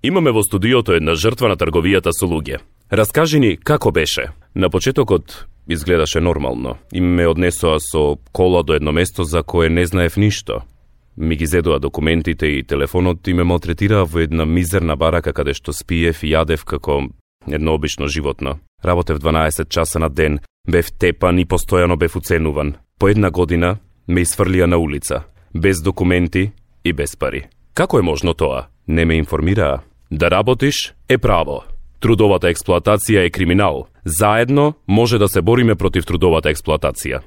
Имаме во студиото една жртва на трговијата со луѓе. Раскажи ни како беше. На почетокот изгледаше нормално. И ме однесоа со кола до едно место за кое не знаев ништо. Ми ги зедоа документите и телефонот и ме малтретираа во една мизерна барака каде што спиев и јадев како едно обично животно. Работев 12 часа на ден, бев тепан и постојано бев уценуван. По една година ме изфрлија на улица, без документи и без пари. Како е можно тоа? Не ме информираа. Да работиш е право. Трудовата експлоатација е криминал. Заедно може да се бориме против трудовата експлоатација.